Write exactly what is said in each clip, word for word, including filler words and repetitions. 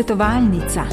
Svetovalnica.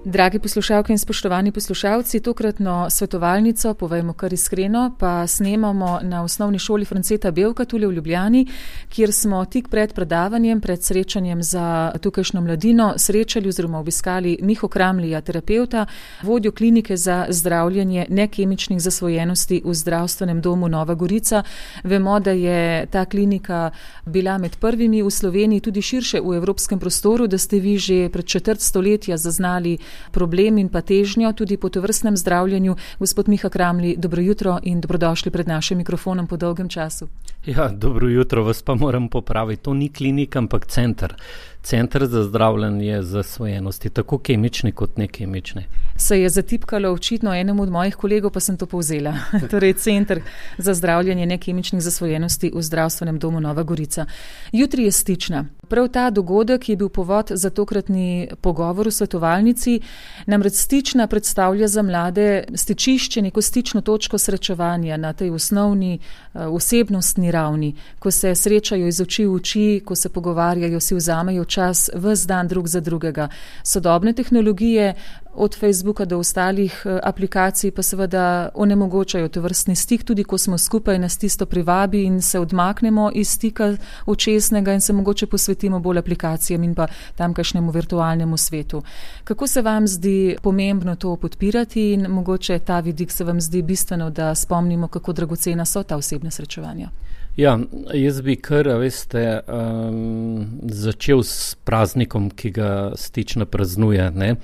Dragi poslušalke in spoštovani poslušalci, tokratno svetovalnico, povejmo kar iskreno, pa snemamo na osnovni šoli Franceta Bevka tule v Ljubljani, kjer smo tik pred predavanjem, pred srečanjem za tukajšnjo mladino srečali oziroma obiskali Miho Kramlija, terapevta, vodjo klinike za zdravljenje nekemičnih zasvojenosti v zdravstvenem domu Nova Gorica. Vemo, da je ta klinika bila med prvimi v Sloveniji, tudi širše v evropskem prostoru, da ste vi že pred četrt stoletja zaznali problem in pa težnjo tudi po tovrstnem zdravljenju. Gospod Miha Kramli, dobro jutro in dobrodošli pred našim mikrofonom po dolgem času. Ja, dobro jutro, vas pa moram popraviti. To ni klinika, ampak center. Center za zdravljenje zasvojenosti, tako kemične kot nekemične. Se je zatipkalo očitno enemu od mojih kolegov, pa sem to povzela. Torej, Center za zdravljenje nekemičnih zasvojenosti v zdravstvenem domu Nova Gorica. Jutri je Stična. Prav ta dogodek je bil povod za tokratni pogovor v svetovalnici. Namreč Stična predstavlja za mlade stičišče, neko stično točko srečevanja na tej osnovni osebnostni ravni, ko se srečajo iz oči v oči, ko se pogovarjajo, si vzamejo čas ves dan drug za drugega. Sodobne tehnologije od Facebooka do ostalih aplikacij pa seveda onemogočajo tovrstni stik, tudi ko smo skupaj, nas tisto privabi in se odmaknemo iz stika očesnega in se mogoče posvetimo bolj aplikacijam in pa tamkajšnjemu virtualnemu svetu. Kako se vam zdi pomembno to podpirati in mogoče ta vidik se vam zdi bistveno, da spomnimo, kako dragocena so ta osebna srečevanja? Ja, jaz bi kar, veste, um, začel s praznikom, ki ga Stična praznuje, ne.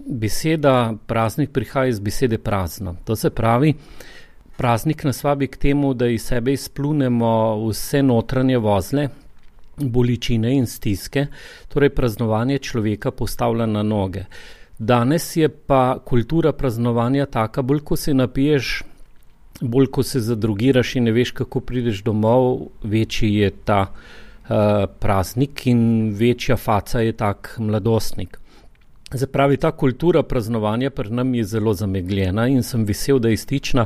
Beseda praznik prihaja iz besede prazno. To se pravi, praznik nas vabi k temu, da iz sebe izplunemo vse notranje vozle, bolečine in stiske, torej praznovanje človeka postavlja na noge. Danes je pa kultura praznovanja taka, bolj ko se napiješ, bolj ko se zadrugiraš in ne veš, kako prideš domov, večji je ta uh, praznik in večja faca je tak mladostnik. Zapravi, ta kultura praznovanja pri nam je zelo zamegljena in sem vesel, da je Stična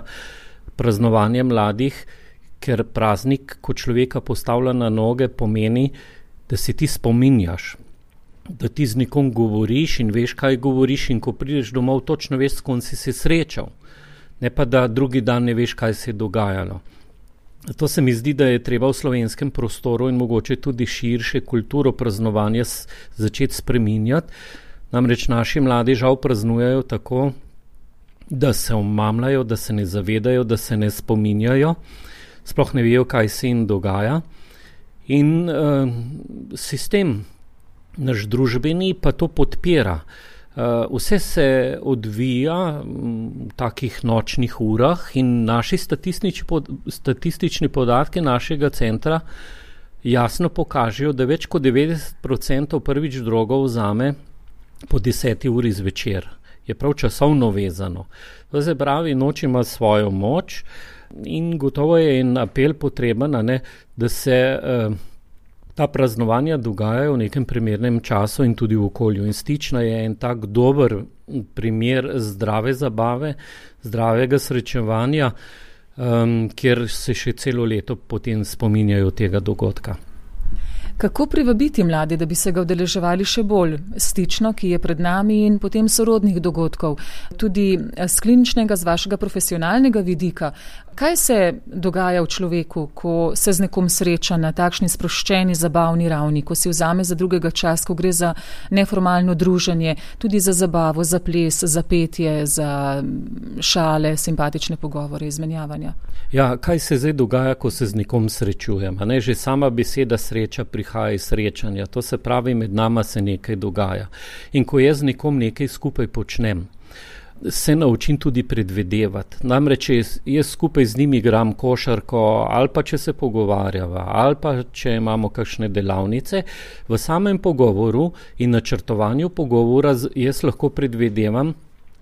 praznovanje mladih, ker praznik, ko človeka postavlja na noge, pomeni, da se ti spominjaš, da ti z nekom govoriš in veš, kaj govoriš in ko prideš domov, točno veš, s kom si se srečal. Ne pa, da drugi dan ne veš, kaj se je dogajalo. To se mi zdi, da je treba v slovenskem prostoru in mogoče tudi širše kulturo praznovanja začeti spreminjati. Namreč naši mladi žal praznujejo tako, da se omamljajo, da se ne zavedajo, da se ne spominjajo, sploh ne vejo, kaj se jim dogaja. In uh, sistem naš družbeni pa to podpira. Uh, vse se odvija v takih nočnih urah in naši statistični, pod, statistični podatki našega centra jasno pokažejo, da več kot devetdeset procentov prvič drogo vzame po deseti uri zvečer. Je prav časovno vezano. To se pravi, noč ima svojo moč in gotovo je en apel potreben, ne, da se uh, ta praznovanja dogajajo v nekem primernem času in tudi v okolju. In Stična je en tak dober primer zdrave zabave, zdravega srečevanja, um, kjer se še celo leto potem spominjajo tega dogodka. Kako privabiti mlade, da bi se ga udeleževali še bolj? Stično, ki je pred nami, in potem sorodnih dogodkov, tudi z kliničnega, z vašega profesionalnega vidika. Kaj se dogaja v človeku, ko se z nekom sreča na takšni sproščeni, zabavni ravni, ko si vzame za drugega čas, ko gre za neformalno druženje, tudi za zabavo, za ples, za petje, za šale, simpatične pogovore, izmenjavanja? Ja, kaj se zdaj dogaja, ko se z nekom srečujem? Ne, že sama beseda sreča prihaja iz srečanja. To se pravi, med nama se nekaj dogaja. In ko jaz z nekom nekaj skupaj počnem, se naučim tudi predvidevati. Namreč, če jaz skupaj z njimi igram košarko, ali pa če se pogovarjava, ali pa če imamo kakšne delavnice, v samem pogovoru in načrtovanju pogovora jaz lahko predvidevam,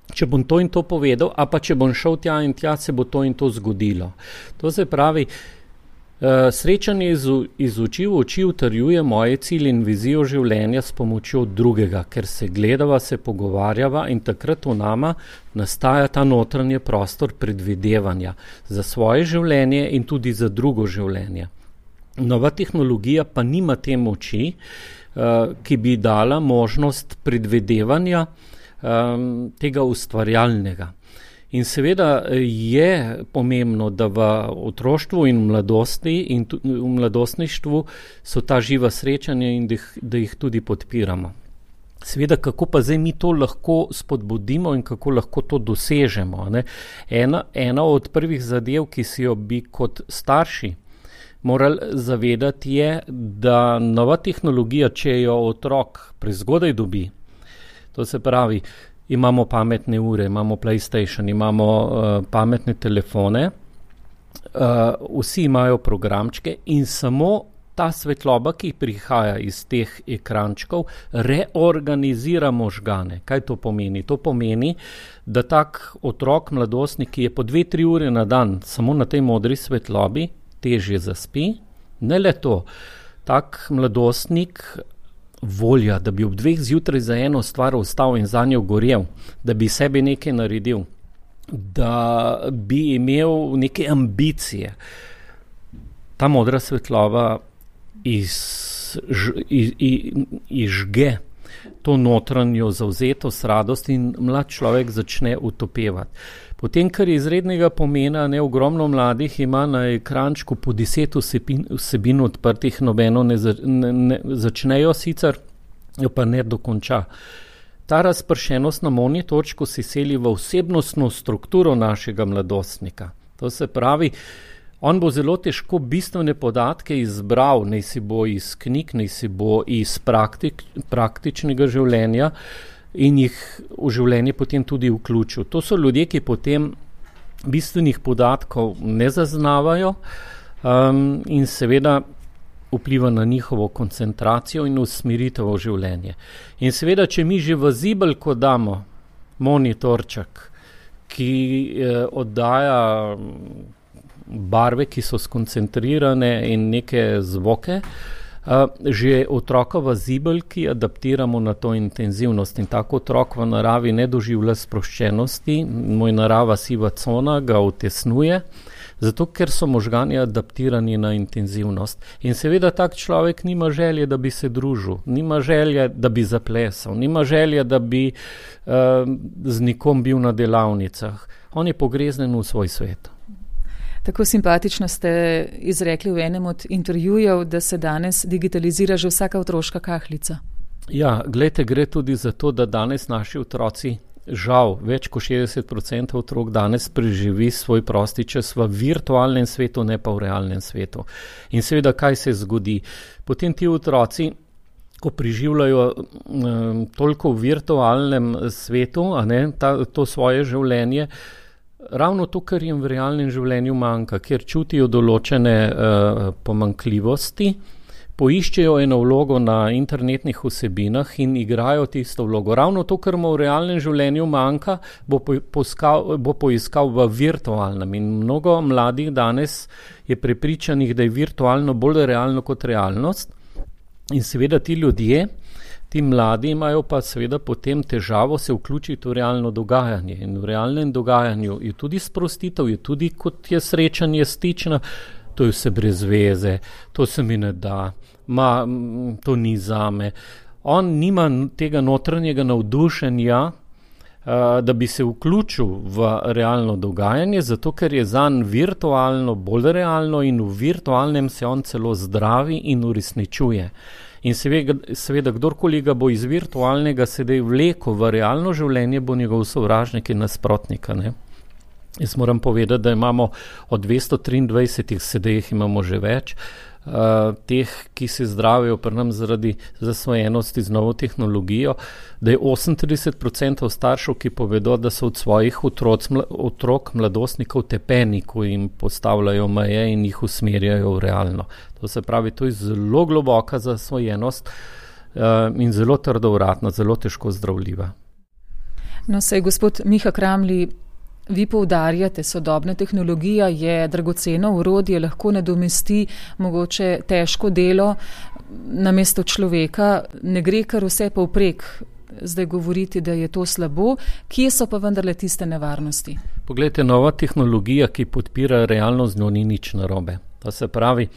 če bom to in to povedal, a pa če bom šel tja in tja, se bo to in to zgodilo. To se pravi, Srečanje iz, iz oči v oči utrjuje moje cilje in vizijo življenja s pomočjo drugega, ker se gledava, se pogovarjava in takrat v nama nastaja ta notranji prostor predvidevanja za svoje življenje in tudi za drugo življenje. Nova tehnologija pa nima te moči, ki bi dala možnost predvidevanja tega ustvarjalnega. In seveda je pomembno, da v otroštvu in mladosti in v mladostništvu so ta živa srečanja in da jih, da jih tudi podpiramo. Seveda, kako pa zdaj mi to lahko spodbudimo in kako lahko to dosežemo, ne? Ena, ena od prvih zadev, ki si jo bi kot starši morali zavedati, je, da nova tehnologija, če jo otrok prezgodaj dobi, to se pravi, imamo pametne ure, imamo PlayStation, imamo uh, pametne telefone, uh, vsi imajo programčke in samo ta svetloba, ki prihaja iz teh ekrančkov, reorganizira možgane. Kaj to pomeni? To pomeni, da tak otrok, mladostnik, ki je po dve, tri ure na dan samo na tej modri svetlobi, težje zaspi. Ne le to, tak mladostnik volja, da bi ob dveh zjutraj za eno stvar ostal in za njo gorel, da bi sebi nekaj naredil, da bi imel neke ambicije. Ta modra svetlova izžge iz, iz, iz to notranjo zavzetost, radost in mlad človek začne utopevati. Potem, kar je izrednega pomena, ne, ogromno mladih ima na ekrančku po deset vsebin, vsebin odprtih, nobeno ne, ne, ne začnejo sicer, jo pa ne dokonča. Ta razpršenost na monitorčku se seli v osebnostno strukturo našega mladostnika. To se pravi, on bo zelo težko bistvene podatke izbral, naj si bo iz knjig, naj si bo iz praktik, praktičnega življenja, in jih v življenje potem tudi vključil. To so ljudje, ki potem bistvenih podatkov ne zaznavajo um, in seveda vpliva na njihovo koncentracijo in usmeritev v življenje. In seveda, če mi že v zibelko damo monitorček, ki eh, oddaja barve, ki so skoncentrirane in neke zvoke, Uh, že otroka v zibelki adaptiramo na to intenzivnost in tako otrok v naravi ne doživlja sproščenosti, moj narava siva cona ga utesnuje, zato ker so možgani adaptirani na intenzivnost. In seveda tak človek nima želje, da bi se družil, nima želje, da bi zaplesal, nima želje, da bi uh, z nikom bil na delavnicah. On je pogreznen v svoj svet. Tako simpatično ste izrekli v enem od intervjujev, da se danes digitalizira že vsaka otroška kahlica. Ja, glejte, gre tudi za to, da danes naši otroci, žal, več kot šestdeset procentov otrok danes preživi svoj prosti čas v virtualnem svetu, ne pa v realnem svetu. In seveda, kaj se zgodi? Potem ti otroci, ko preživljajo um, toliko v virtualnem svetu, a ne, ta, to svoje življenje, ravno to, kar jim v realnem življenju manjka, ker čutijo določene uh, pomanjkljivosti, poiščejo eno vlogo na internetnih vsebinah in igrajo tisto vlogo. Ravno to, kar mu v realnem življenju manjka, bo, poiskal, bo poiskal v virtualnem. In mnogo mladih danes je prepričanih, da je virtualno bolj realno kot realnost. In seveda ti ljudje, ti mladi imajo pa seveda potem težavo se vključiti v realno dogajanje. In v realnem dogajanju je tudi sprostitev, je tudi kot je srečanje stično, to je vse brez veze, to se mi ne da, ma, to ni zame. On nima tega notranjega navdušenja, da bi se vključil v realno dogajanje, zato ker je zanj virtualno bolj realno in v virtualnem se on celo zdravi in uresničuje. In seveda, seveda, kdorkoli ga bo iz virtualnega sedaj vlekel v realno življenje, bo njegov sovražnik in nasprotnika. Ne? Jaz moram povedati, da imamo od dvesto triindvajsetih, sedaj jih imamo že več, uh, teh, ki se zdravijo pri nam zaradi zasvojenosti z novo tehnologijo, da je osemintrideset procentov staršev, ki povedo, da so od svojih otroc, otrok, mladostnikov tepeni, ko jim postavljajo meje in jih usmerjajo v realno. To se pravi, to je zelo globoka zasvojenost uh, in zelo trdovratna, zelo težko zdravljiva. No, sej gospod Miha Kramli, Vi poudarjate, sodobna tehnologija je dragoceno orodje, lahko nadomesti mogoče težko delo namesto človeka, ne gre kar vse povprek. Zdaj govoriti, da je to slabo, kje so pa vendarle tiste nevarnosti? Poglejte, nova tehnologija, ki podpira realnost, z njo ni nič narobe. To se pravi,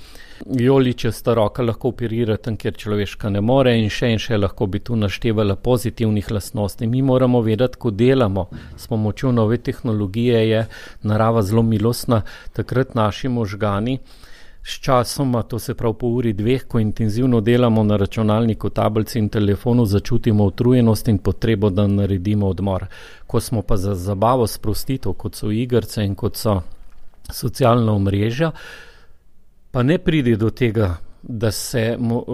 joličasta roka lahko operira tam, kjer človeška ne more in še in še lahko bi tu naštevala pozitivnih lastnosti. Mi moramo vedeti, ko delamo s pomočjo nove tehnologije, je narava zelo milostna, takrat naši možgani s časoma, to se pravi po uri dveh, ko intenzivno delamo na računalniku, tablici in telefonu, začutimo utrujenost in potrebo, da naredimo odmor. Ko smo pa za zabavo sprostitev, kot so igrice in kot so socialna omrežja, pa ne pride do tega, da se mo,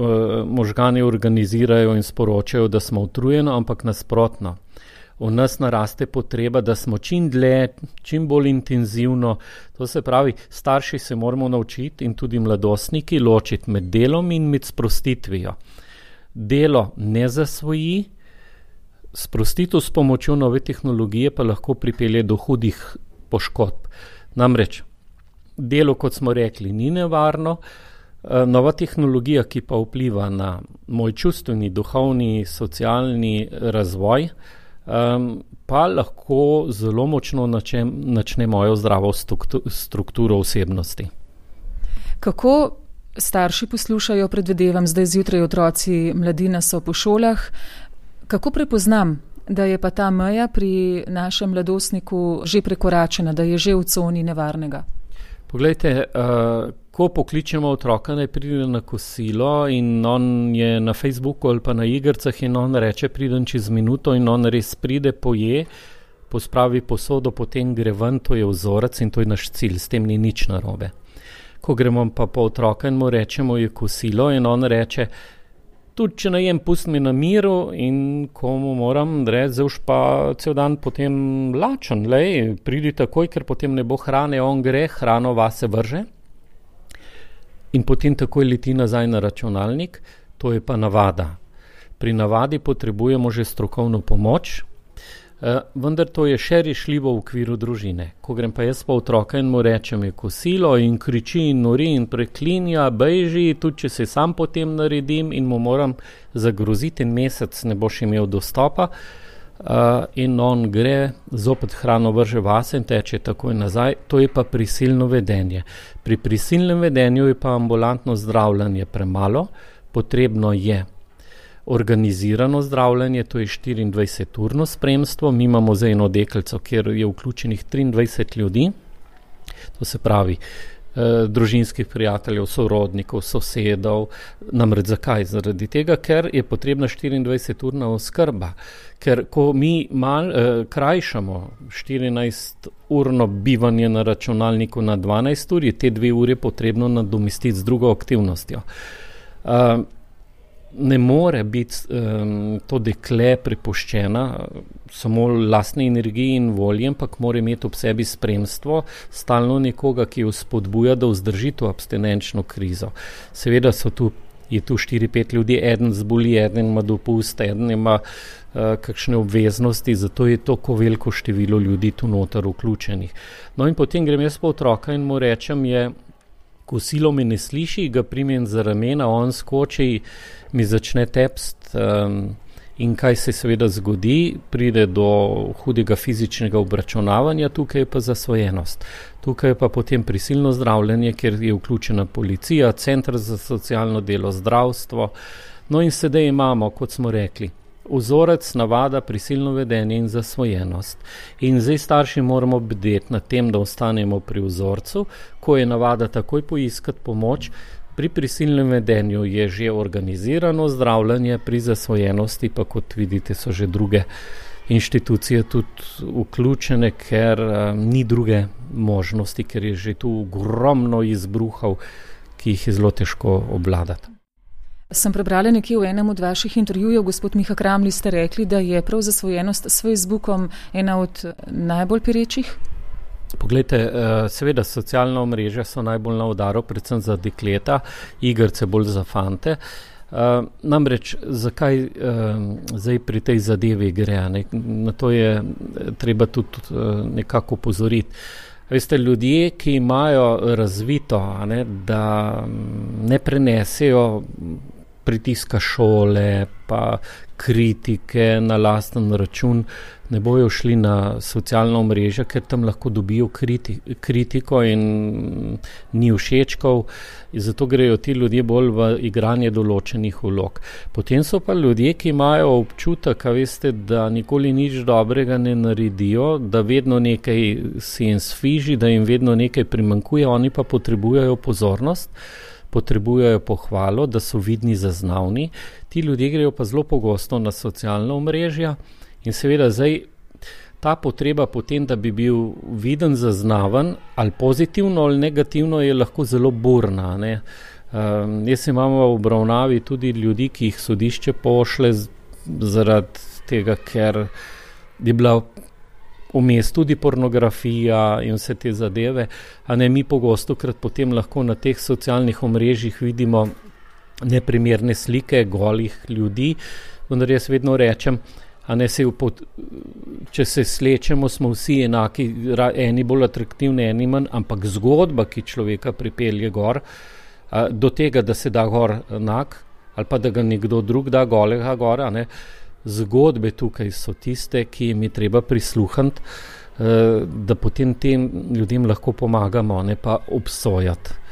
možgani organizirajo in sporočajo, da smo utrujeni, ampak nasprotno. V nas naraste potreba, da smo čim dlje, čim bolj intenzivno. To se pravi, starši se moramo naučiti in tudi mladostniki ločiti med delom in med sprostitvijo. Delo ne zasvoji, sprostitev s pomočjo nove tehnologije pa lahko pripelje do hudih poškodb. Namreč, delo, kot smo rekli, ni nevarno, nova tehnologija, ki pa vpliva na moj čustveni, duhovni, socialni razvoj, Um, pa lahko zelo močno načem, načne mojo zdravo strukturo osebnosti. Kako starši poslušajo, predvidevam, zdaj zjutraj otroci, mladina so po šolah, kako prepoznam, da je pa ta meja pri našem mladostniku že prekoračena, da je že v coni nevarnega? Poglejte, uh, ko pokličemo otroka, naj pride na kosilo in on je na Facebooku ali pa na igricah in on reče, pridem čez minuto in on res pride, poje, pospravi posodo, potem gre ven, to je vzorec in to je naš cilj, s tem ni nič narobe. Ko gremo pa po otroka in mu rečemo, je kosilo in on reče, tudi če najem, pust mi na miru in ko mu moram reči, zdaj už pa cel dan potem lačen, lej, pridi takoj, ker potem ne bo hrane, on gre, hrano vase vrže in potem takoj leti nazaj na računalnik, to je pa navada. Pri navadi potrebujemo že strokovno pomoč, eh, vendar to je še rešljivo v okviru družine. Ko grem pa jaz pa otroka in mu rečem, je kosilo in kriči in nori in preklinja, bejži, tudi če se sam potem naredim in mu moram zagroziti en mesec, ne boš imel dostopa, Uh, in on gre, zopet hrano vrže vase in teče takoj nazaj, to je pa prisilno vedenje. Pri prisilnem vedenju je pa ambulantno zdravljenje premalo, potrebno je organizirano zdravljenje, to je štiriindvajseturno spremstvo, mi imamo za eno deklico, kjer je vključenih triindvajset ljudi, to se pravi eh, družinskih prijateljev, sorodnikov, sosedov, namreč zakaj? Zaradi tega, ker je potrebna štiriindvajseturna oskrba. Ker ko mi mal, eh, krajšamo štirinajsturno bivanje na računalniku na dvanajst ur, je te dve ure potrebno nadomestiti z drugo aktivnostjo. Uh, ne more biti um, to dekle prepuščena samo lastni energiji in volji, ampak mora imeti ob sebi spremstvo, stalno nekoga, ki jo spodbuja, da vzdrži to abstinenčno krizo. Seveda so tu je tu štiri pet ljudi, eden zboli, eden ima dopust, eden ima uh, kakšne obveznosti, zato je to ko veliko število ljudi tu noter vključenih. No in potem grem jaz po otroka in mu rečem, je kosilo me ne sliši, ga primem za ramena, on skoči, mi začne tepst um, in kaj se seveda zgodi, pride do hudega fizičnega obračunavanja, tukaj je pa zasvojenost. Tukaj je pa potem prisilno zdravljenje, kjer je vključena policija, center za socialno delo, zdravstvo. No in sedaj imamo, kot smo rekli, vzorec, navada, prisilno vedenje in zasvojenost. In zdaj starši moramo bdeti nad tem, da ostanemo pri vzorcu, ko je navada takoj poiskati pomoč. Pri prisilnem vedenju je že organizirano zdravljenje, pri zasvojenosti pa, kot vidite, so že druge inštitucije tudi vključene, ker um, ni druge možnosti, ker je že tu ogromno izbruhov, ki jih je zelo težko obvladati. Sem prebrala nekje v enem od vaših intervjujev, gospod Miha Kramli, ste rekli, da je prav zasvojenost s Facebookom ena od najbolj perečih? Poglejte, seveda socialna omrežja so najbolj na udaru, predvsem za dekleta, igrice bolj za fante, Uh, namreč, zakaj uh, zdaj pri tej zadevi gre? Ne? Na to je treba tudi uh, nekako opozoriti. Veste, ljudje, ki imajo razvito, ne, da ne prenesejo pritiska šole, pa kritike na lasten račun, ne bojo šli na socialna omrežja, ker tam lahko dobijo kriti, kritiko in ni všečkov, in zato grejo ti ljudje bolj v igranje določenih vlog. Potem so pa ljudje, ki imajo občutek, a veste, da nikoli nič dobrega ne naredijo, da vedno nekaj se jim sfiži, da jim vedno nekaj primanjkuje, oni pa potrebujejo pozornost, potrebujejo pohvalo, da so vidni, zaznavni. Ti ljudje grejo pa zelo pogosto na socialna omrežja in seveda zdaj ta potreba potem, da bi bil viden, zaznaven, ali pozitivno ali negativno, je lahko zelo burna. Ne? Um, jaz imam v obravnavi tudi ljudi, ki jih sodišče pošle z, zaradi tega, ker je bila vmes tudi pornografija in vse te zadeve, a ne mi pogosto krat potem lahko na teh socialnih omrežjih vidimo neprimerne slike golih ljudi, vendar jaz vedno rečem, a ne se, če se slečemo, smo vsi enaki, eni bolj atraktivni, eni manj, ampak zgodba, ki človeka pripelje gor, a, do tega, da se da gor enak, ali pa da ga nekdo drug da golega gor, a ne, zgodbe tukaj so tiste, ki jim je treba prisluhniti, da potem tem ljudem lahko pomagamo, ne pa obsojati.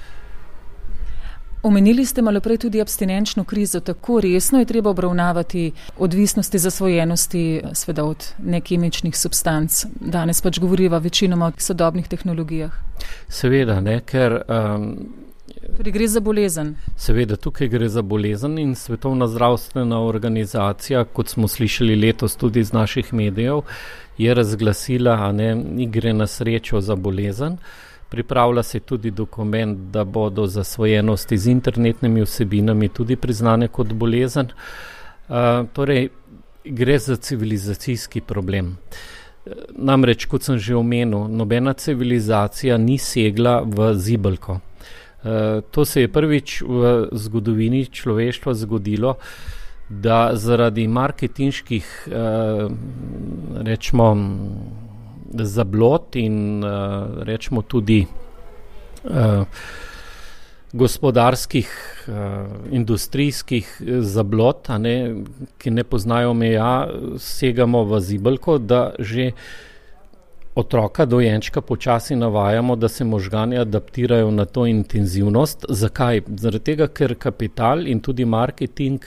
Omenili ste malo prej tudi abstinenčno krizo. Tako resno je treba obravnavati odvisnosti, zasvojenosti, sveda od nekemičnih substanc. Danes pač govoriva večinoma o sodobnih tehnologijah. Seveda, ne, ker... Um, Tudi gre za bolezen. Seveda, tukaj gre za bolezen in Svetovna zdravstvena organizacija, kot smo slišali letos tudi iz naših medijev, je razglasila, a ne, igre na srečo za bolezen. Pripravlja se tudi dokument, da bodo zasvojenosti z internetnimi vsebinami tudi priznane kot bolezen. Uh, torej, gre za civilizacijski problem. Namreč, kot sem že omenil, nobena civilizacija ni segla v zibelko. Uh, to se je prvič v zgodovini človeštva zgodilo, da zaradi marketinških, uh, rečemo, zablod in uh, rečemo tudi uh, gospodarskih, uh, industrijskih zablod, a ne, ki ne poznajo meja, segamo v zibelko, da že otroka, dojenčka počasi navajamo, da se možgani adaptirajo na to intenzivnost. Zakaj? Zaradi tega, ker kapital in tudi marketing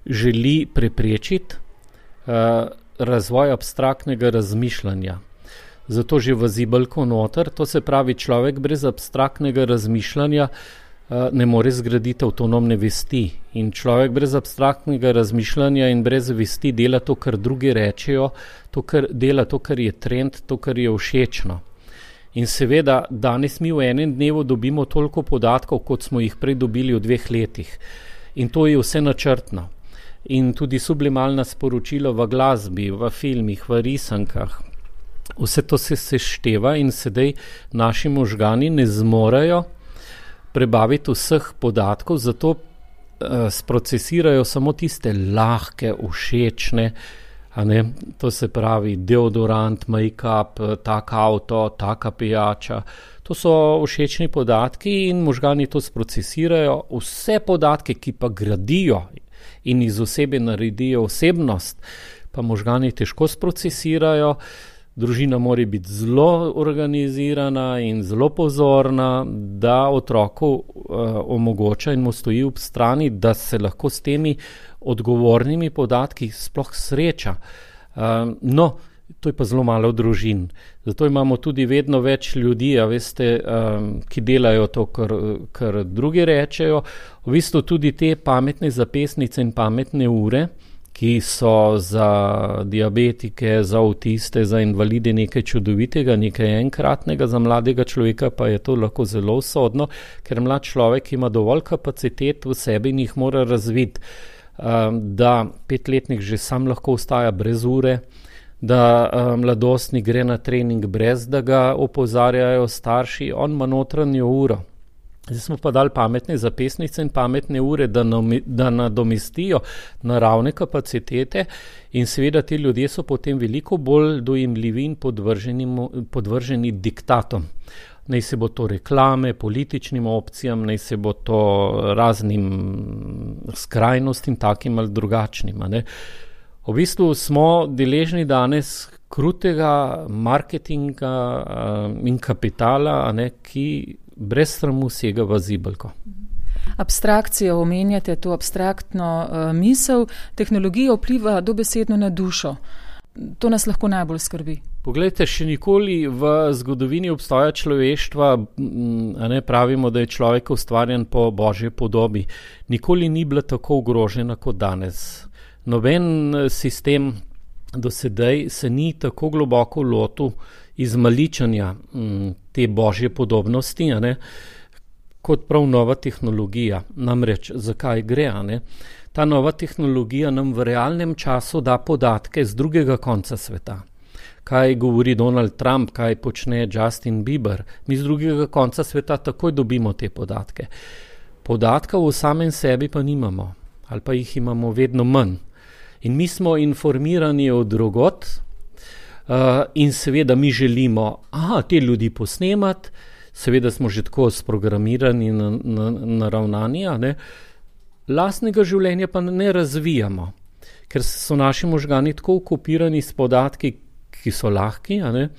želi preprečiti uh, razvoj abstraktnega razmišljanja. Zato že v zibelko noter, to se pravi, človek brez abstraktnega razmišljanja uh, ne more zgraditi avtonomne vesti. In človek brez abstraktnega razmišljanja in brez vesti dela to, kar drugi rečejo, to, kar dela to, kar je trend, to, kar je všečno. In seveda, danes mi v enem dnevu dobimo toliko podatkov, kot smo jih prej dobili v dveh letih. In to je vse načrtno. In tudi sublimalna sporočila v glasbi, v filmih, v risankah, vse to se sešteva in sedaj naši možgani ne zmorejo prebaviti vseh podatkov, zato uh, sprocesirajo samo tiste lahke, všečne, a ne, to se pravi deodorant, make-up, tak avto, taka pijača. To so všečni podatki in možgani to sprocesirajo. Vse podatke, ki pa gradijo in iz osebe naredijo osebnost, pa možgani težko sprocesirajo. Družina mora biti zelo organizirana in zelo pozorna, da otroku uh, omogoča in mu stoji ob strani, da se lahko s temi odgovornimi podatki sploh sreča. Uh, no, to je pa zelo malo družin. Zato imamo tudi vedno več ljudi, a veste, um, ki delajo to, kar, kar drugi rečejo. V bistvu tudi te pametne zapestnice in pametne ure, ki so za diabetike, za avtiste, za invalide nekaj čudovitega, nekaj enkratnega, za mladega človeka pa je to lahko zelo usodno, ker mlad človek ima dovolj kapacitet v sebi in jih mora razviti, da petletnik že sam lahko ostaja brez ure, da mladostnik gre na trening brez, da ga opozarjajo starši, on ima notranjo uro. Zdaj smo pa dali pametne zapisnice in pametne ure, da, nami, da nadomestijo naravne kapacitete in seveda ti ljudje so potem veliko bolj dojemljivi in podvrženi, podvrženi diktatom. Naj se bo to reklame, političnim opcijam, naj se bo to raznim skrajnostim, takim ali drugačnim. Ne? V bistvu smo deležni danes krutega marketinga in kapitala, ne, ki brez sramu sega v zibelko. Abstrakcijo omenjate, to abstraktno uh, misel, tehnologija vpliva dobesedno na dušo. To nas lahko najbolj skrbi. Poglejte, še nikoli v zgodovini obstoja človeštva, a ne pravimo, da je človek ustvarjen po Božji podobi, nikoli ni bila tako ogrožena kot danes. Noben sistem do sedaj se ni tako globoko lotil izmaličanja te Božje podobnosti, a ne, kot prav nova tehnologija. Namreč, zakaj gre, a ne? Ta nova tehnologija nam v realnem času da podatke z drugega konca sveta. Kaj govori Donald Trump, kaj počne Justin Bieber. Mi z drugega konca sveta takoj dobimo te podatke. Podatka v samem sebi pa nimamo, ali pa jih imamo vedno manj. In mi smo informirani od drugot uh, in seveda mi želimo aha, te ljudi posnemati, seveda smo že tako sprogramirani in na, na, naravnani, ne? Lastnega življenja pa ne razvijamo, ker so naši možgani tako okupirani s podatki, ki so lahki, a ne?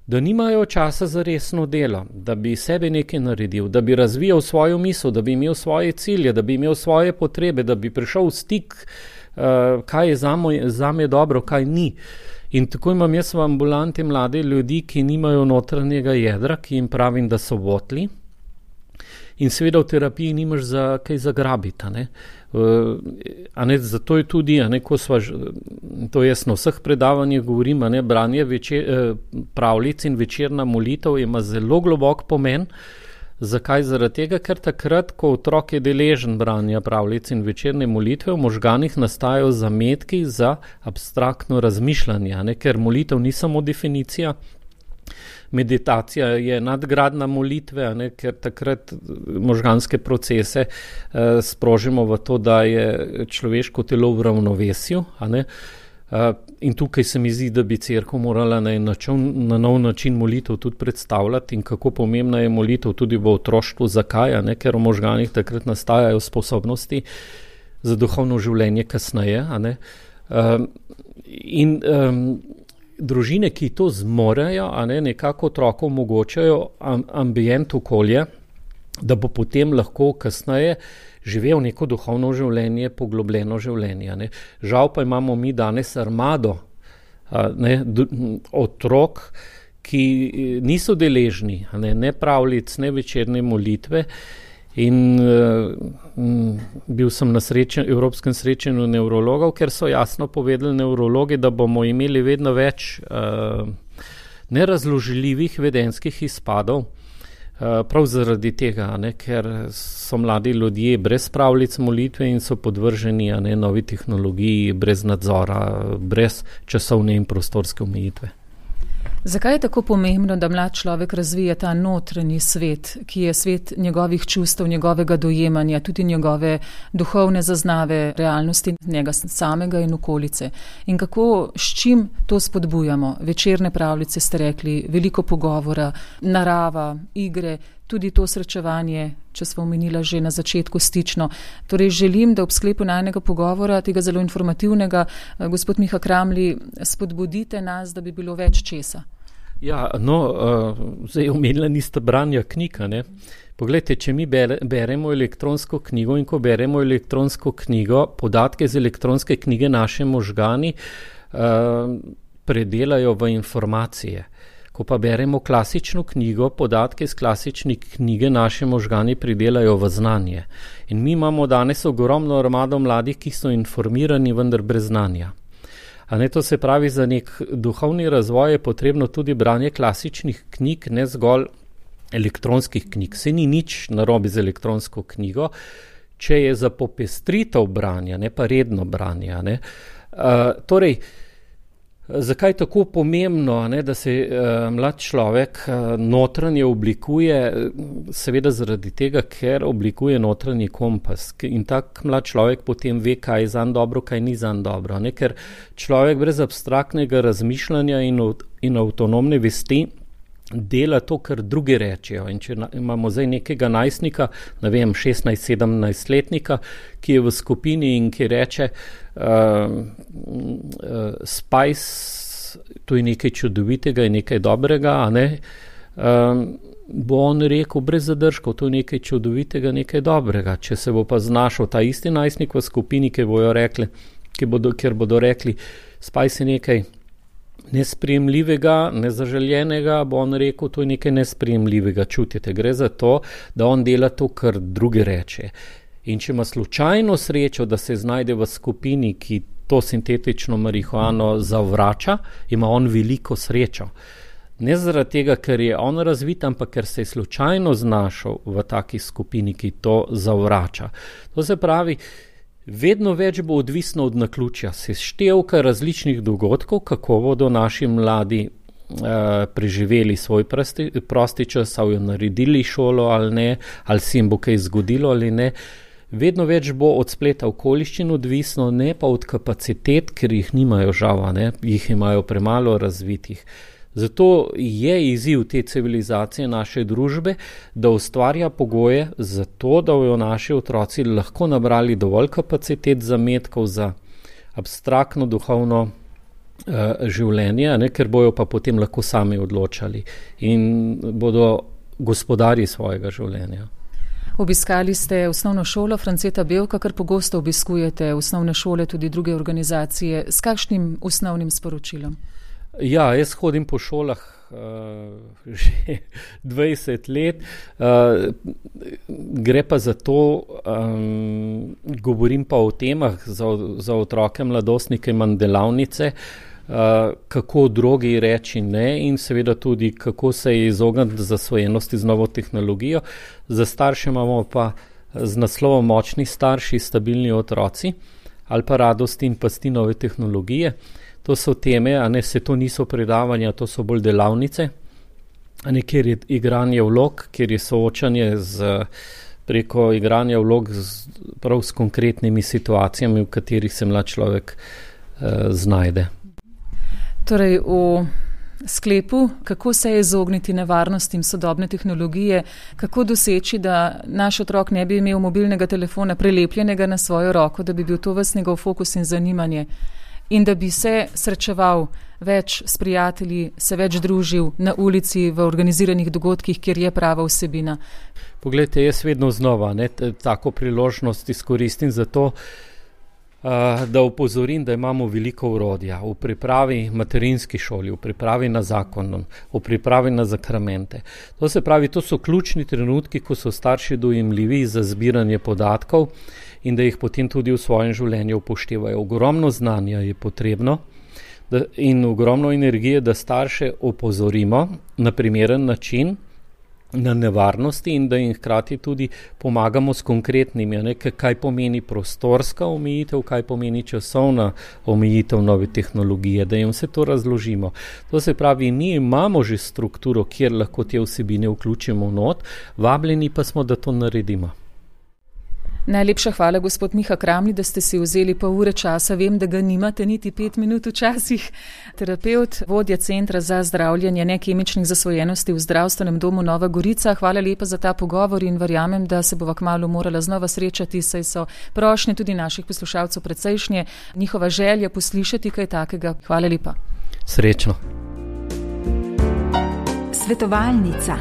Da nimajo časa za resno delo, da bi sebe nekaj naredil, da bi razvijal svojo misel, da bi imel svoje cilje, da bi imel svoje potrebe, da bi prišel v stik, uh, kaj je zame, zame dobro, kaj ni. In tako imam jaz v ambulanti mlade ljudi, ki nimajo notranjega jedra, ki jim pravim, da so votli. In seveda v terapiji nimaš za kaj zagrabiti. A ne? Uh, a ne, zato je tudi, a ne, ko sva, to jaz na vseh predavanjih govorim, a ne, branje večer, eh, pravljic in večerna molitev ima zelo globok pomen. Zakaj? Zaradi tega, ker takrat, ko otrok je deležen branja pravljic in večerne molitve, v možganih nastajajo zametki za abstraktno razmišljanje, a ne, ker molitev ni samo definicija. Meditacija je nadgradna molitve, a ne, ker takrat možganske procese eh, sprožimo v to, da je človeško telo v ravnovesju. A ne. Uh, in tukaj se mi zdi, da bi cerkev morala na, način, na nov način molitev tudi predstavljati in kako pomembna je molitev tudi v otroštvu. Zakaj? A ne, ker v možganih takrat nastajajo sposobnosti za duhovno življenje kasneje. A ne. Uh, in um, družine, ki to zmorejo, a ne, nekako otroku omogočajo ambient okolje, da bo potem lahko kasneje živel neko duhovno življenje, poglobljeno življenje. Ne. Žal pa imamo mi danes armado a, ne, d, otrok, ki niso deležni, a ne, ne pravljic, ne večerne molitve. In uh, m, bil sem na srečen, evropskem srečanju nevrologov, ker so jasno povedali nevrologi, da bomo imeli vedno več uh, nerazložljivih vedenskih izpadov, uh, prav zaradi tega, ne, ker so mladi ljudje brez pravljic molitve in so podvrženi, a ne, novi tehnologiji, brez nadzora, brez časovne in prostorske omejitve. Zakaj je tako pomembno, da mlad človek razvija ta notranji svet, ki je svet njegovih čustev, njegovega dojemanja, tudi njegove duhovne zaznave realnosti njega samega in okolice? In kako, s čim to spodbujamo? Večerne pravljice ste rekli, veliko pogovora, narava, igre, tudi to srečevanje, če smo omenila že na začetku stično. Torej želim, da ob sklepu najnega pogovora, tega zelo informativnega, gospod Miha Kramli, spodbudite nas, da bi bilo več česa. Ja, no, uh, zdaj omenila niste branja knjiga, ne? Poglejte, če mi bere, beremo elektronsko knjigo in ko beremo elektronsko knjigo, podatke z elektronske knjige naše možgani uh, predelajo v informacije. Ko pa beremo klasično knjigo, podatke iz klasične knjige naše možgani pridelajo v znanje. In mi imamo danes ogromno armado mladih, ki so informirani, vendar brez znanja. A ne, to se pravi, za nek duhovni razvoj je potrebno tudi branje klasičnih knjig, ne zgolj elektronskih knjig. Se ni nič narobe z elektronsko knjigo, če je za popestritev branja, ne pa redno branje. Ne. Uh, torej, Zakaj je tako pomembno, ne, da se uh, mlad človek uh, notranje oblikuje? Seveda zaradi tega, ker oblikuje notranji kompas in tak mlad človek potem ve, kaj je zanj dobro, kaj ni zanj dobro. Ne, ker človek brez abstraktnega razmišljanja in, in avtonomne vesti dela to, kar drugi rečejo. In če na, imamo zdaj nekega najstnika, ne vem, šestnajst sedemnajst letnika, ki je v skupini in ki reče uh, uh, Spice, to je nekaj čudovitega in nekaj dobrega, a ne, um, bo on rekel brez zadržkov, to je nekaj čudovitega, nekaj dobrega. Če se bo pa znašel ta isti najstnik v skupini, ki bojo rekli, ki bodo, kjer bodo rekli, Spice je nekaj nesprejemljivega, nezaželjenega, bo on rekel, to je nekaj nesprejemljivega, čutite. Gre za to, da on dela to, kar drugi reče. In če ima slučajno srečo, da se znajde v skupini, ki to sintetično marihuano zavrača, ima on veliko srečo. Ne zaradi tega, ker je on razvit, ampak ker se je slučajno znašel v taki skupini, ki to zavrača. To se pravi, vedno več bo odvisno od naključja, seštevka različnih dogodkov, kako bodo naši mladi eh, preživeli svoj prosti, prosti čas, ali naredili šolo ali ne, ali se jim bo kaj zgodilo ali ne. Vedno več bo od spleta okoliščin odvisno, ne pa od kapacitet, ker jih nimajo žal, ne, jih imajo premalo razvitih. Zato je izziv te civilizacije naše družbe, da ustvarja pogoje za to, da bojo naši otroci lahko nabrali dovolj kapacitet zametkov za abstraktno duhovno uh, življenje, ne, ker bojo pa potem lahko sami odločali in bodo gospodari svojega življenja. Obiskali ste osnovno šolo Franceta Bevka, kar pogosto obiskujete osnovne šole, tudi druge organizacije. S kakšnim osnovnim sporočilom? Ja, jaz hodim po šolah uh, že dvajset let. Uh, gre pa za to, um, govorim pa o temah za, za otroke, mladostnike, imam delavnice, uh, kako drogi reči ne in seveda tudi, kako se izogniti zasvojenosti z novo tehnologijo. Za starše imamo pa z naslovom Močni starši, stabilni otroci ali pa Radosti in pasti nove tehnologije. To so teme, a ne, se to niso predavanja, to so bolj delavnice, a ne, kjer je igranje vlog, kjer je soočanje z, preko igranja vlog z, prav s konkretnimi situacijami, v katerih se mlad človek eh, znajde. Torej, v sklepu, kako se izogniti nevarnostim sodobne tehnologije, kako doseči, da naš otrok ne bi imel mobilnega telefona prelepljenega na svojo roko, da bi bil to ves njegov fokus in zanimanje, in da bi se srečeval več s prijatelji, se več družil na ulici, v organiziranih dogodkih, kjer je prava vsebina. Poglejte, jaz vedno znova ne, tako priložnost izkoristim za to, uh, da opozorim, da imamo veliko orodja v pripravi materinski šoli, v pripravi na zakon, v pripravi na zakramente. To se pravi, to so ključni trenutki, ko so starši dojemljivi za zbiranje podatkov in da jih potem tudi v svojem življenju upoštevajo. Ogromno znanja je potrebno da, in ogromno energije, da starše opozorimo na primeren način na nevarnosti in da jim hkrati tudi pomagamo s konkretnimi, ne, kaj pomeni prostorska omejitev, kaj pomeni časovna omejitev nove tehnologije, da jim vse to razložimo. To se pravi, mi imamo že strukturo, kjer lahko te vsebine vključimo not, vabljeni pa smo, da to naredimo. Najlepša hvala, gospod Miha Kramli, da ste si vzeli pol ure časa. Vem, da ga nimate niti pet minut včasih. Terapevt, vodja Centra za zdravljenje nekemičnih zasvojenosti v Zdravstvenem domu Nova Gorica. Hvala lepa za ta pogovor in verjamem, da se bova kmalu morala znova srečati, saj so prošnje tudi naših poslušalcev precejšnje. Njihova želja poslišati kaj takega. Hvala lepa. Srečno. Svetovalnica.